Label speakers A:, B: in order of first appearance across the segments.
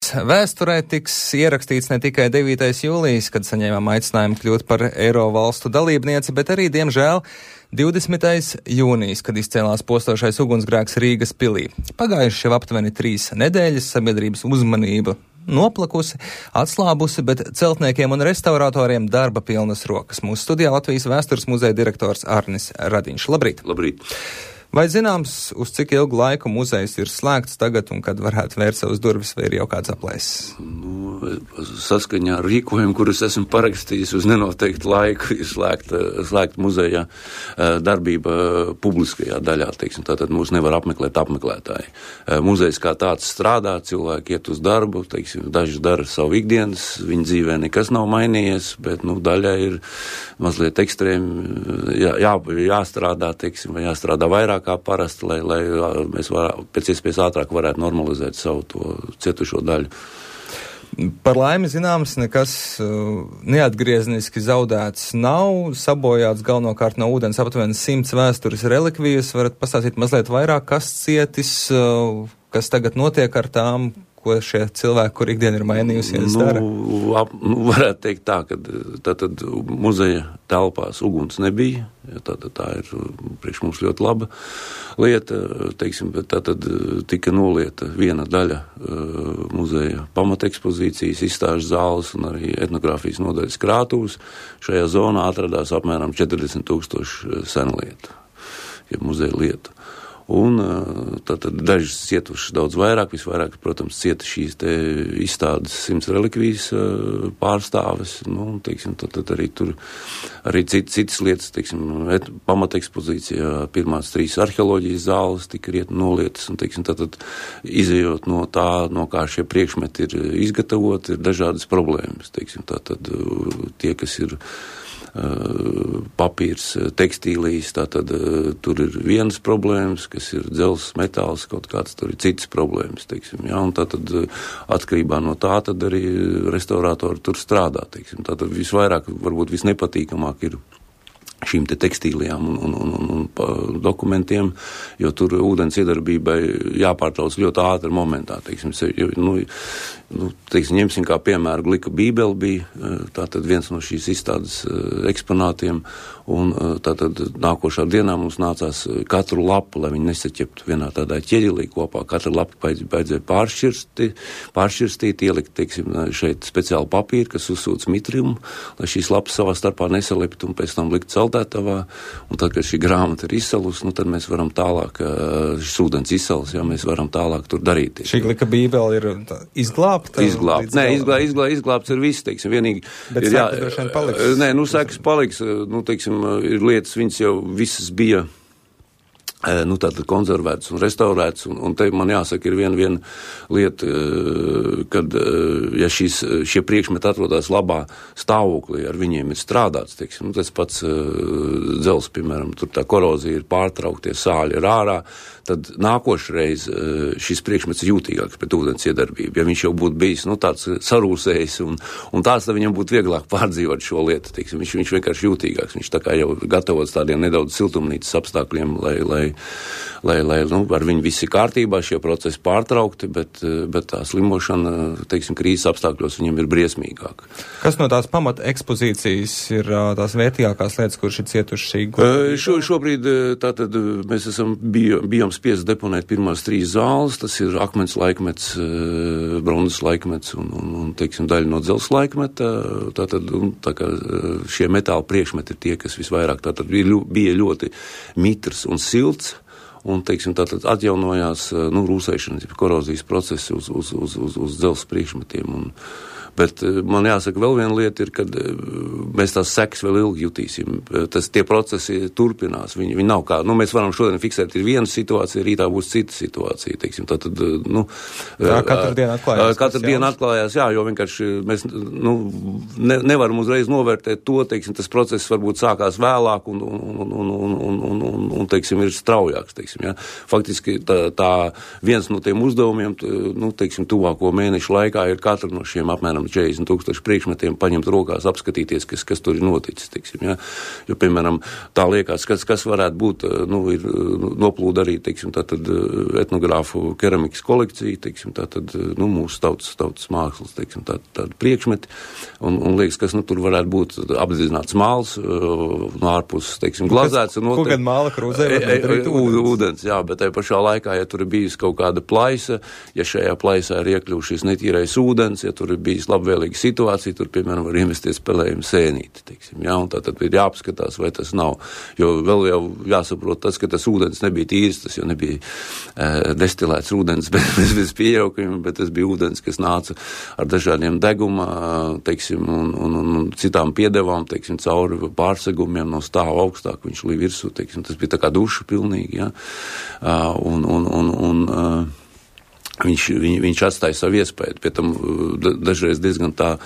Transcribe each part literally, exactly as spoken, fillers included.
A: Vārds vēsturē tiks ierakstīts ne tikai devītais jūlijas, kad saņēmām aicinājumu kļūt par Eiro valstu dalībnieci, bet arī, diemžēl, divdesmitais jūnijas, kad izcēlās postošais ugunsgrēks Rīgas pilī. Pagājuši jau aptuveni trīs nedēļas, sabiedrības uzmanība noplakusi, atslābusi, bet celtniekiem un restauratoriem darba pilnas rokas. Mūsu studijā Latvijas vēstures muzeja direktors Arnis Radiņš. Labrīt!
B: Labrīt!
A: Vai zināms, uz cik ilgu laiku muzejs ir slēgts tagad un kad varētu vērt savus durvis, vai ir jau kāds aplēses?
B: Nu, saskaņā ar rīkojumu, kurus esmu parakstījis uz nenoteiktu laiku, ir slēgta, slēgta muzejā darbība publiskajā daļā, teiksim, tātad mūs nevar apmeklēt apmeklētāji. Muzejs kā tāds strādā, cilvēki iet uz darbu, teiksim, daži dara savu ikdienas, viņa dzīvē nekas nav mainījies, bet, nu, daļai ir mazliet ekstrēmi jā, jā, jāstrādā, teiksim, vai jāstrādā vairāk kā parasti, lai, lai mēs var, pēc iespējas ātrāk varētu normalizēt savu to cietušo daļu.
A: Par laimi zināms, nekas uh, neatgriezniski zaudēts nav, sabojāts galvenokārt no ūdens aptuveni simts vēstures relikvijas. Varat pastāstīt mazliet vairāk, kas cietis, uh, kas tagad notiek ar tām, ko šie cilvēki, kur ikdiena ir mainījusies,
B: nu,
A: dara?
B: Ap, nu, varētu teikt tā, ka tātad muzeja telpās uguns nebija, tātad tā ir priekš mums ļoti laba lieta, teiksim, bet tātad tika nolieta viena daļa uh, muzeja pamatekspozīcijas, izstāžu zāles un arī etnogrāfijas nodaļas krātuves. Šajā zonā atradās apmēram četrdesmit tūkstoši senlietu, ja muzeja lietu. Un tātad dažas cietušas daudz vairāk, visvairāk, protams, cieta šīs te izstādes simts relikvijas pārstāves, nu, teiksim, tad, tad arī tur arī cit, citas lietas, teiksim, et, pamatekspozīcijā pirmās trīs arheoloģijas zāles tika riet nolietas, un, teiksim, tātad izejot no tā, no kā šie priekšmeti ir izgatavoti, ir dažādas problēmas, teiksim, tātad tie, kas ir papīrs, tekstīlijas, tātad tur ir vienas problēmas, kas ir dzels, metāls, kaut kāds tur ir citas problēmas, teiksim, jā, un tātad atkarībā no tā tad arī restauratori tur strādā, teiksim, tātad visvairāk, varbūt visnepatīkamāk ir šīm te tekstīlijām un, un, un, un, un dokumentiem, jo tur ūdens iedarbībai jāpārtrauc ļoti ātri momentā, teiksim, nu, nu, teiksim, ņemsim kā piemēru Glika bībeli bija, tātad viens no šīs izstādes eksponātiem, un tātad nākošā dienā mums nācās katru lapu, lai viņi nesaķeptu vienā tādā ķeģelī kopā, katru lapu baidzēja pāršķirsti, pāršķirstīt, ielikt, teiksim, šeit speciāli papīru, kas uzsūc mitriumu, lai šīs lapas savā starpā nesalipt un pēc tam likt saldētavā, un tad, kad šī grāmata ir izsalus, nu, tad mēs varam tālāk, šis ūdens izsalus, jā, mēs varam tālāk tur darīt.
A: Šī Glika bībele ir izglābta?
B: Izglābt. Nē, izglā, izglā, izglābts ir viss, teiksim, vienīgi.
A: Bet
B: ir,
A: sekas droši vien paliks?
B: Nē, nu, sekas paliks, nu, teiksim, ir lietas, viņas jau visas bija, nu, tātad konservētas un restaurētas, un, un te man jāsaka, ir viena, viena lieta, kad, ja šīs, šie priekšmeti atrodas labā stāvoklī, ar viņiem ir strādāts, teiksim, nu, tas pats dzels, piemēram, tur tā korozija ir pārtrauktie, sāļi ir ārā, tad nākošreiz šis priekšmets ir jūtīgāks pret ūdens iedarbību. Ja viņš jau būtu bijis, nu, tāds sarūsējis un, un tāds, tad viņam būtu vieglāk pārdzīvot šo lietu, teiksim, viņš, viņš vienkārši jūtīgāks, viņš tā kā jau gatavots tādiem nedaudz siltumnīcas apstākļiem, lai, lai, lai, lai nu, ar viņu visi kārtībā, šie procesi pārtraukti, bet, bet tā slimošana, teiksim, krīzes apstākļos viņam ir briesmīgāk.
A: Kas no tās pamata ekspozīcijas ir tās vērtīgākās lietas, kurš ir cietuši šī?
B: Šo, šobrīd tātad mēs esam bij, bijām spiest deponēt pirmās trīs zāles, tas ir akmens laikmets, bronzas laikmets un, un, un teiksim, daļa no dzels laikmeta, tātad, un, tā kā šie metāla priekšmeti ir tie, kas visvairāk tātad bija ļoti mitrs un silts, un, teiksim, tātad atjaunojās, nu, rūsēšanas, korozijas procesi uz, uz, uz, uz, uz dzels priekšmetiem, un bet man jāsaka, vēl viena lieta ir, kad mēs tās sekas vēl ilgi jutīsim. Tas, tie procesi turpinās. Viņi, viņi nav kā, nu, mēs varam šodien fiksēt, ir viena situācija, rītā būs cita situācija, teiksim. Tātad, nu,
A: jā, katru dienu atklājās.
B: Katru dienu atklājās, jā, jo vienkārši mēs, nu, ne, nevaram uzreiz novērtēt to, teiksim, tas process varbūt sākās vēlāk un, un, un, un, un, un, un, un, un teiksim, ir straujāks, teiksim, jā. Faktiski tā, tā viens no tiem uzdevumiem, nu, teiksim, tuvāko mēnešu laikā ir katra no šiem apmēram no četrdesmit tūkstoši priekšmetiem, paņemt rokās, apskatīties, kas, kas tur ir noticis, teiksim, ja. Jo, piemēram, tā liekas, kas, kas varētu būt, nu, ir noplūda arī, teiksim, tātad etnogrāfu keramikas kolekcija, teiksim, tātad, nu, mūsu tautas, tautas mākslas, teiksim, tā, tāda priekšmeti, un, un liekas, kas, nu, tur varētu būt apdedzināts māls, no ārpuses, teiksim, glazēts.
A: Ko gan māla krūzē var darīt ūdens?
B: Ūdens, jā, bet tajā pašā laikā, ja tur ir bijis kaut kāda plaisa, ja šajā plaisā ir iekļuvušies netīrais ūdens, ja tur ir bijis labvēlīga situācija, tur, piemēram, var investies spēlējumu sēnīti, teiksim, jā, un tātad ir jāapskatās, vai tas nav, jo vēl jau jāsaprot tas, ka tas ūdens nebija tīrs, tas jau nebija uh, destilēts ūdens bez, bez, bez piejaukuma, bet tas bija ūdens, kas nāca ar dažādiem deguma, teiksim, un, un, un citām piedevām, teiksim, cauri pārsegumiem no stāva augstāk, viņš līdz virsū, teiksim, tas bija tā kā duša pilnīgi, jā. Uh, un, un, un, un uh, viņš, viņ, viņš atstāja savu iespēju, pie tam uh, dažreiz diezgan tā uh,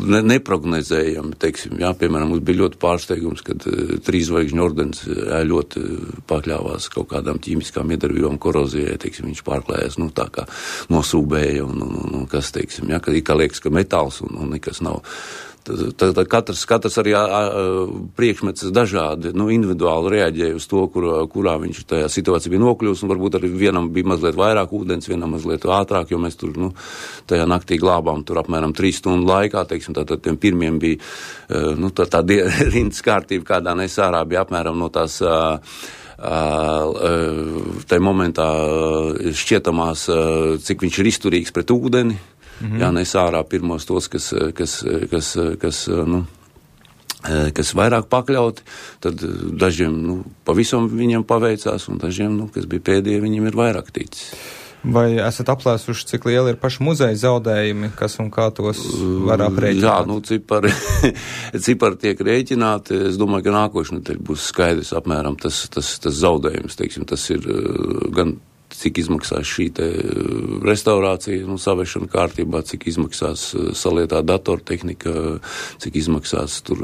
B: ne, neprognozējami, teiksim, jā, piemēram, mums bija ļoti pārsteigums, kad uh, trīs zvaigžņu ordenis uh, ļoti pakļāvās kaut kādām ķīmiskām iedarbībām korozijai, teiksim, viņš pārklājās, nu, tā kā nosūbēja un, un, un, un kas, teiksim, jā, kad kā liekas, ka metāls un, un nekas nav. Tad katrs, katrs arī a, a, priekšmets dažādi, nu, individuāli reaģēja uz to, kur, kurā viņš tajā situācijā bija nokļūst, un varbūt arī vienam bija mazliet vairāk ūdens, vienam mazliet ātrāk, jo mēs tur, nu, tajā naktī glābām tur apmēram trīs stundu laikā, teiksim, tātad tiem pirmiem bija, nu, tā, tā rindas kārtība, kādā nes ārā bija apmēram no tās, tajā momentā šķietamās, cik viņš ir izturīgs pret ūdeni. Mm-hmm. Jā, nes ārā pirmos tos, kas, kas, kas, kas, nu, kas vairāk pakļauti, tad dažiem, nu, pavisam viņiem paveicās, un dažiem, nu, kas bija pēdējie, viņiem ir vairāk ticis.
A: Vai esat aplēsuši, cik lieli ir paši muzeja zaudējumi, kas un kā tos var aprēķināt?
B: Jā, nu, cipari, cipari tiek rēķināti. Es domāju, ka nākošais nedēļ būs skaidrs apmēram tas, tas, tas zaudējums, teiksim, tas ir gan cik izmaksās šī te restaurācija, nu, savešana kārtībā, cik izmaksās salietā datortehnika, cik izmaksās tur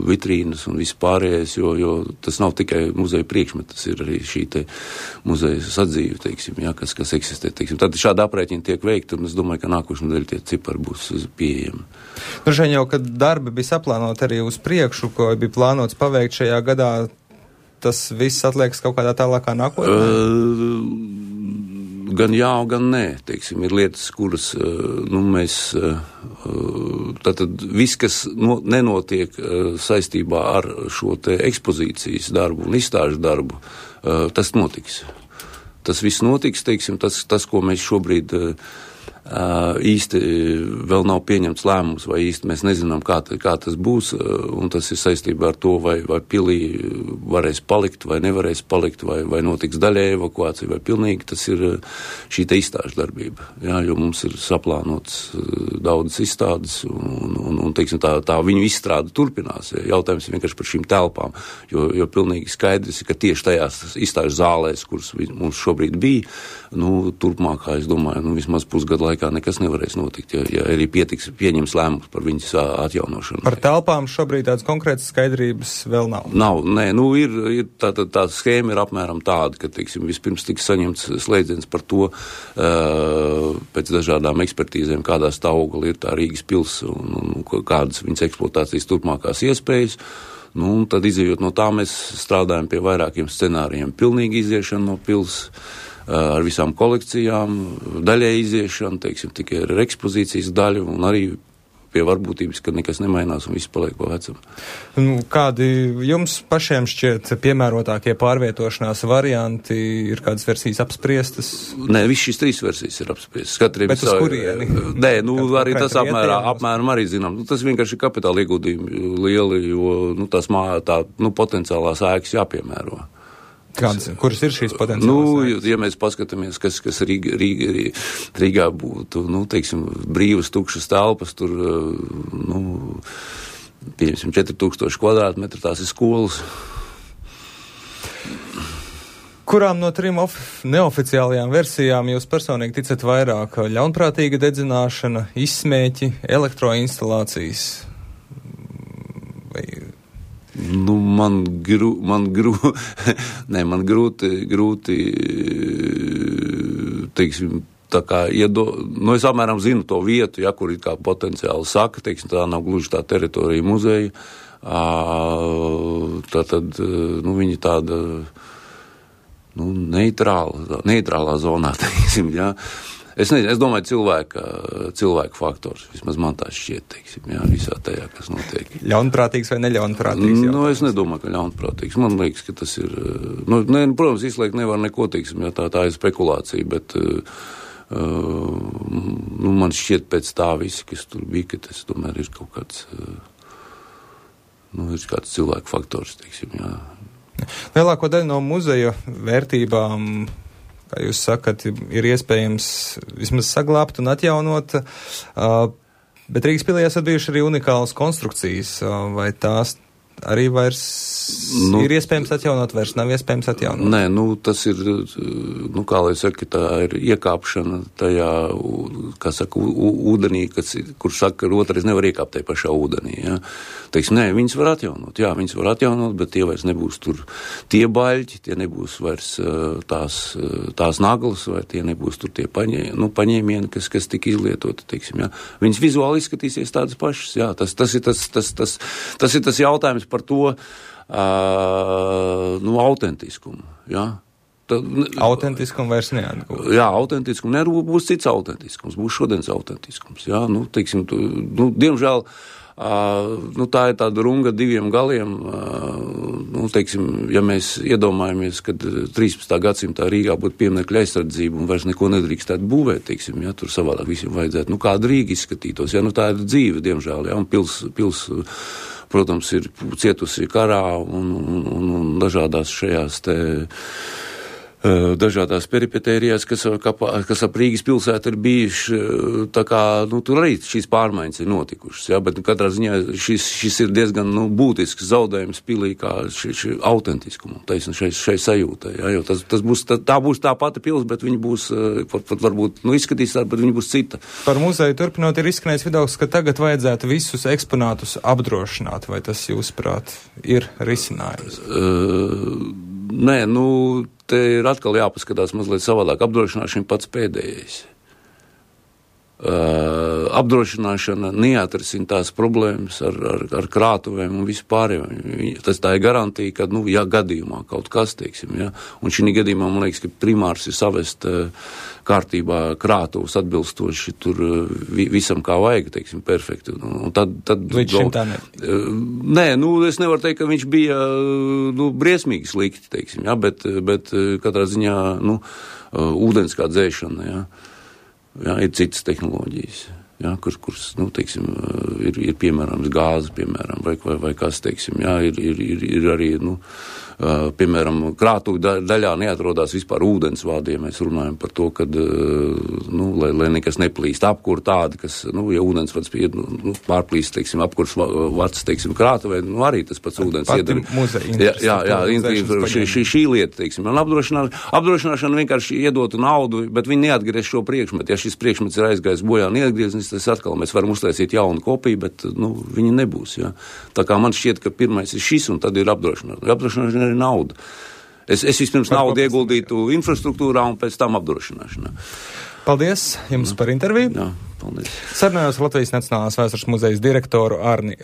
B: vitrīnas un viss pārējais, jo, jo tas nav tikai muzeja priekšmet, tas ir arī šī te muzeja sadzīve, teiksim, jā, kas, kas eksistē, teiksim. Tad šāda aprēķina tiek veikta, un es domāju, ka nākošais nedēļ tie cipari būs pieejami.
A: Droši vien jau, kad darbi bija saplānoti arī uz priekšu, ko bija plānots paveikt šajā gadā, tas viss atliekas kaut kādā tālākā nākotnē?
B: Uh, gan jā, gan nē. Teiksim, ir lietas, kuras, nu, mēs, tātad viss, kas no, nenotiek saistībā ar šo te ekspozīcijas darbu un izstāžu darbu, tas notiks. Tas viss notiks, teiksim, tas, tas ko mēs šobrīd īsti vēl nav pieņemts lēmums, vai īsti mēs nezinām, kā, kā tas būs, un tas ir saistībā ar to, vai, vai pilī varēs palikt, vai nevarēs palikt, vai, vai notiks daļēja evakuācija, vai pilnīgi, tas ir šī te izstāžu darbība, jā, jo mums ir saplānots daudzas izstādes, un, un, un teiksim, tā, tā viņu izstrāde turpinās. Jautājums ir vienkārši par šīm telpām, jo, jo pilnīgi skaidrs ir, ka tieši tajās izstāžu zālēs, kuras mums šobrīd bija, nu, turpmākā, es domāju, nu, vismaz pusgadu laikā nekas nevarēs notikt, ja, ja arī pietiks pieņems lēmums par viņas atjaunošanu.
A: Par telpām šobrīd tādas konkrētas skaidrības vēl nav?
B: Nav, nē, nu ir, ir tā, tā, tā schēma ir apmēram tāda, ka, teiksim, vispirms tiks saņemts slēdziens par to, uh, pēc dažādām ekspertīzēm, kādā stāvoklī ir tā Rīgas pils un, un kādas viņas eksploatācijas turpmākās iespējas. Nu, un tad izējot no tā, mēs strādājam pie vairākiem scenārijiem. Pilnīgi iziešana no pils, ar visām kolekcijām, daļai iziešana, teiksim, tikai ar ekspozīcijas daļu un arī pie varbūtības, ka nekas nemainās un viss paliek pa vecam.
A: Nu, kādi jums pašiem šķiet piemērotākie pārvietošanās varianti, ir kādas versijas apspriestas?
B: Nē, viss šīs trīs versijas ir apspriestas. Katriem
A: Bet uz savu, kurieni?
B: Nē, nu, arī tas apmērā, apmēram arī zinām. Nu, tas vienkārši ir kapitāla ieguldījumi lieli, jo, nu, tās mā, tā, nu, potenciālās ēkas jāpiemēro.
A: Kādas, kuras ir šīs potenciālās?
B: Nu, ja mēs paskatāmies, kas, kas Rīga, Rīga, Rīgā būtu, nu, teiksim, brīvas, tukšas telpas, tur, nu, pieņemsim, četri tūkstoši kvadrātmetri, tās ir skolas.
A: Kurām no trim of- neoficiālajām versijām jūs personīgi ticat vairāk? Ļaunprātīga dedzināšana, izsmēķi, elektroinstalācijas? Vai...
B: Nu, man grū, man grū, ne, man grūti, grūti, teiksim, tā kā, iedo, nu, es apmēram zinu to vietu, ja, kur ir kā potenciāli saka, teiksim, tā nav gluži tā teritorija muzeja, tā tad, nu, viņi tāda, nu, neitrāla, neitrālā zonā, teiksim, ja. Es nezinu, es domāju, cilvēka, cilvēka faktors, vismaz man tā šķiet, teiksim, jā, visā tajā, kas notiek.
A: Ļaunprātīgs vai neļaunprātīgs?
B: Nu, es nedomāju, ka ļaunprātīgs. Man liekas, ka tas ir, nu, ne, protams, izslēgt nevar neko, teiksim, jā, tā, tā ir spekulācija, bet, uh, nu, man šķiet pēc tā visi, kas tur bija, ka tas tomēr ir kaut kāds, uh, nu, ir kāds cilvēka faktors, teiksim, jā.
A: Lielāko daļu no muzeja vērtībām, kā jūs sakat, ir iespējams vismaz saglābt un atjaunot, bet Rīgas pilī esat bijuši arī unikālas konstrukcijas, vai tās arī vairs nu, ir iespējams atjaunot, vairs nav iespējams atjaunot?
B: Nē, nu, tas ir, nu, kā lai saka, tā ir iekāpšana tajā, kā saka, ūdenī, kas, kur saka, ka otrais nevar iekāpt tajā pašā ūdenī, jā. Teiksim, nē, viņas var atjaunot, jā, viņas var atjaunot, bet tie vairs nebūs tur tie baļķi, tie nebūs vairs tās, tās naglas, vai tie nebūs tur tie paņē, nu, paņēmieni, kas, kas tika izlietoti, teiksim, jā. Viņas vizuāli izskatīsies tādas pašas, jā, tas, tas ir tas, tas, tas, tas ir tas jautājums par to, uh, nu, autentiskumu, jā. Tad,
A: autentiskumu vairs neatgūt.
B: Jā, autentiskumu, ne, būs cits autentiskums, būs šodienas autentiskums, jā, nu, teiksim, tu, nu, diemžēl, uh, nu, tā ir tāda runga diviem galiem, uh, nu, teiksim, ja mēs iedomājamies, kad trīspadsmitā gadsimtā Rīgā būtu pieminekļa aizsardzība un vairs neko nedrīkstētu būvēt, teiksim, jā, tur savādāk visiem vajadzētu, nu, kāda Rīga izskatītos, jā, nu, tā ir dzīve, diemžēl, jā, un pils, pils, protams, ir cietusi karā un, un, un, un dažādās šajās te dažādās peripetērijās, kas, kas ap Rīgas pilsētu ir bijuši, tā kā, nu, tur arī šīs pārmaiņas ir notikušas, jā, bet katrā ziņā šis, šis ir diezgan, nu, būtisks zaudējums pilī kā šī, šī autentiskumu, taisn, šai, šai sajūtai, jā, jo tas, tas būs, tā, tā būs tā pati pils, bet viņi būs, pat, pat varbūt, nu, izskatīs tā, bet viņi būs cita.
A: Par muzeju turpinot ir izskanējis viedoklis, ka tagad vajadzētu visus eksponātus apdrošināt, vai tas, jūsuprāt, ir risinājums?
B: Uh, nē, nu, te ir atkal jāpaskatās mazliet savādāk. Apdrošināšana pats pēdējais. Uh, apdrošināšana neatrisina tās problēmas ar, ar, ar krātuvēm un vispārējiem. Tas tā ir garantija, ka, nu, ja gadījumā kaut kas, teiksim, ja, un šī gadījumā, man liekas, ka primārs ir savest uh, kārtībā krātuvus atbilstoši tur uh, vi, visam kā vajag, teiksim, perfekti. Un, un tad, tad,
A: Līdz šim tā ne?
B: Uh, nē, nu, es nevaru teikt, ka viņš bija, uh, nu, briesmīgi slikti, teiksim, ja, bet, bet uh, katrā ziņā, nu, uh, ūdens kā dzēšana, ja. Jā, ir citas tehnoloģijas, jā, kur, kuras, nu, teiksim, ir, ir piemērams gāze, piemēram, vai, vai, vai kas, teiksim, jā, ir, ir, ir, ir arī, nu, uh, piemēram, krātuvi daļā neatrodās vispār ūdensvādi, ja mēs runājam par to, kad, uh, nu, lai, lai nekas neplīst, apkur tādi, kas, nu, ja ūdensvads ir, nu, pārplīst, teiksim, apkurs vads, teiksim, krātuvē, nu, arī tas pats ūdens iedara. Jā, jā, jā, šī, šī, šī lieta, teiksim, un apdrošināšana, apdrošināšana vienkārši iedotu naudu, bet viņi neatgriez šo priekšmetu. Ja šis priekšmets ir aizgājis bojā, neatgrieznis, tas atkal mēs varam uztaisīt jaunu kopiju, bet, nu, viņi nebūs, jā. Tā kā man šķiet, ka pirmais ir šis, un tad ir apdrošināšana. Apdrošināšana ir nauda. Es, es vispirms par naudu ieguldītu infrastruktūrā un pēc tam apdrošināšanā.
A: Paldies jums jā. Par interviju.
B: Jā, paldies.
A: Sarunājos Latvijas Nacionālās vēstures muzejas direktoru Arni